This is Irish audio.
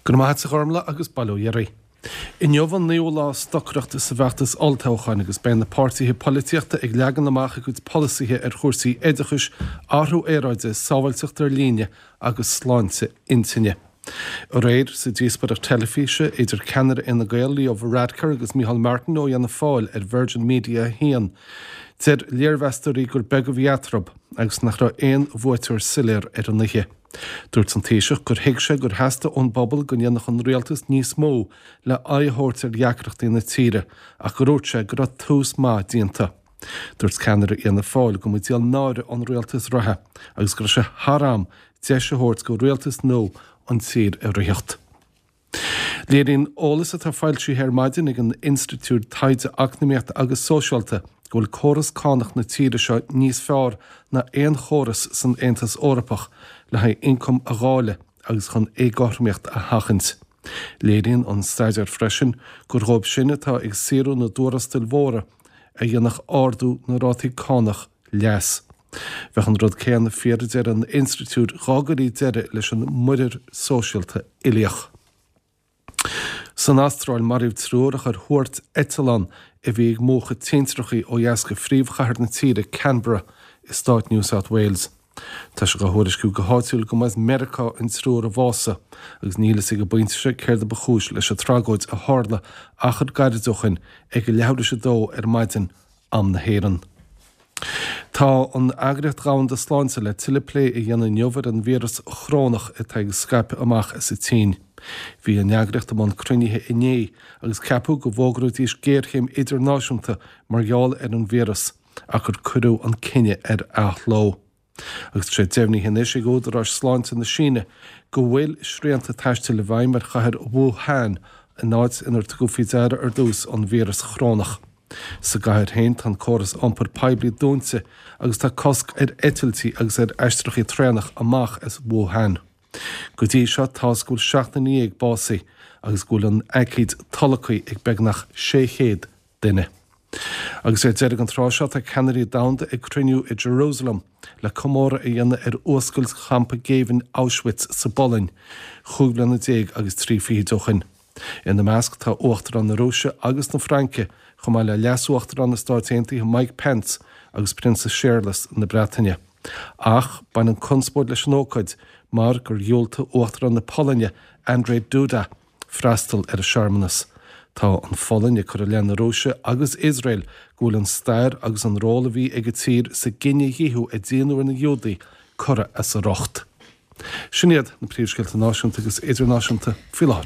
Go raibh maith agat a Ghormlaith agus bail ó Dhia oraibh. Inniu an naoú lá stocaireachta sa bhfeachtas olltoghcháin agus beidh na páirtithe polaitíochta ag leagan amach a gcuid polasaithe ar chúrsaí oideachais, athrú aeráide, sábháilteacht ar líne agus sláinte intinne. Aréir, sa díospóireacht teilifíse idir ceannaire Fhine Gael Leo Varadkar agus Micheál Martin ó Fhianna Fáil ar Virgin Media 1, deir léirmheastóirí gur beag a bhí eatarthu agus nach raibh aon bhuaiteoir soiléir ar an oíche. Dúirt an Taoiseach gur thuig sé gur theastaigh ón bpobal go ndéanfadh an rialtas níos mó le aghaidh a thabhairt ar dheacrachtaí na tíre ach gur dhúirt sé go raibh tús maith déanta. Dúirt ceannaire Fhianna Fáil go mba díol náire an rialtas reatha agus go raibh sé thar am deis a thabhairt go rialtas nua an tír a ritheacht. Léiríonn eolas atá foilsithe ar maidin ag an Institiúid Taighde Eacnamaíochta agus Sóisialta go bhfuil córas cánach na tíre seo níos fearr ná aon chóras san Aontas Eorpach le haghaidh ioncam a dháileadh agus chun éagothromaíocht a sheachaint. Léiríonn an staidéar freisin gur dhóibh sin atá ag saothrú na dtuarastail mhóra a dhéanfadh ardú na rátaí cánach leas. Bheadh an rud céanna fíor a deir an institiúid dá gcuirí deireadh leis an muirear sóisialta uilíoch. San Astráil, maraíodh triúr a chuir thuairt eitleán a bhí ag múchadh tintreachaí ó dheas de phríomhchathair na tíre, Canberra, i stát New South Wales. Tá sé á thuairisciú go háitiúil go mba as Meiriceá an triúr a bhásaigh agus níl fhios ag an bpointe seo céard a ba chúis leis an tragóid a tharla achar gairid ó shin ag a leathuair tar éis a dó ar maidin, am na hÉireann. Tá an Eagraíocht Dhomhanda Sláinte le tuilleadh plé a dhéanamh inniu ar an víreas chorónach atá ag scaipeadh amach as an tSín. Bhí an eagraíocht i mbun cruinnithe inné agus ceapadh go bhfógróidís géarchéim idirnáisiúnta mar gheall ar an víreas ach gur cuireadh an cinneadh ar athló. Agus tá sé deimhnithe anois ag údaráis sláinte na Síne go bhfuil srianta taistil i bhfeidhm ar chathair Wuhan, an áit inar tugadh faoi deara ar dtús an víreas chorónach. Sa gcathair féin tá an córas iompair poiblí dúnta agus tá cosc ar eitiltí agus ar aistreachaí traenach amach as Wuhan. Go dtí seo tá's go bhfuil 7 nduine básaithe agus go bhfuil an aicíd tolgtha ag beagnach 600 duine. Agus ar deireadh an tráth seo tá ceannairí domhanda ag cruinniú i Jerusalem le comóradh a dhéanamh ar fhuascailt champa géibhinn Auschwitz sa bPolainn chúig bliana déag agus trí fichid ó shin. Ina measc tá Uachtarán na Rúise agus na Fraince, chomh maith le Leas-Uachtarán na Stáit Aontaithe Mike Pence agus Prionsa Séarlas na Breataine. Ach baineann conspóid leis an ócáid mar gur dhiúltaigh Uachtarán na Polainne Andrzej Duda freastal ar an searmanas. Tá an Pholainn ag cur i leith na Rúise agus Iosrael go bhfuil an stair agus an ról a bhí ag an tír sa gcinedhíothú a déanadh ar na Giúdaigh curtha as a riocht. Sin iad na príomhscéalta náisiúnta agus idirnáisiúnta faoi láthair.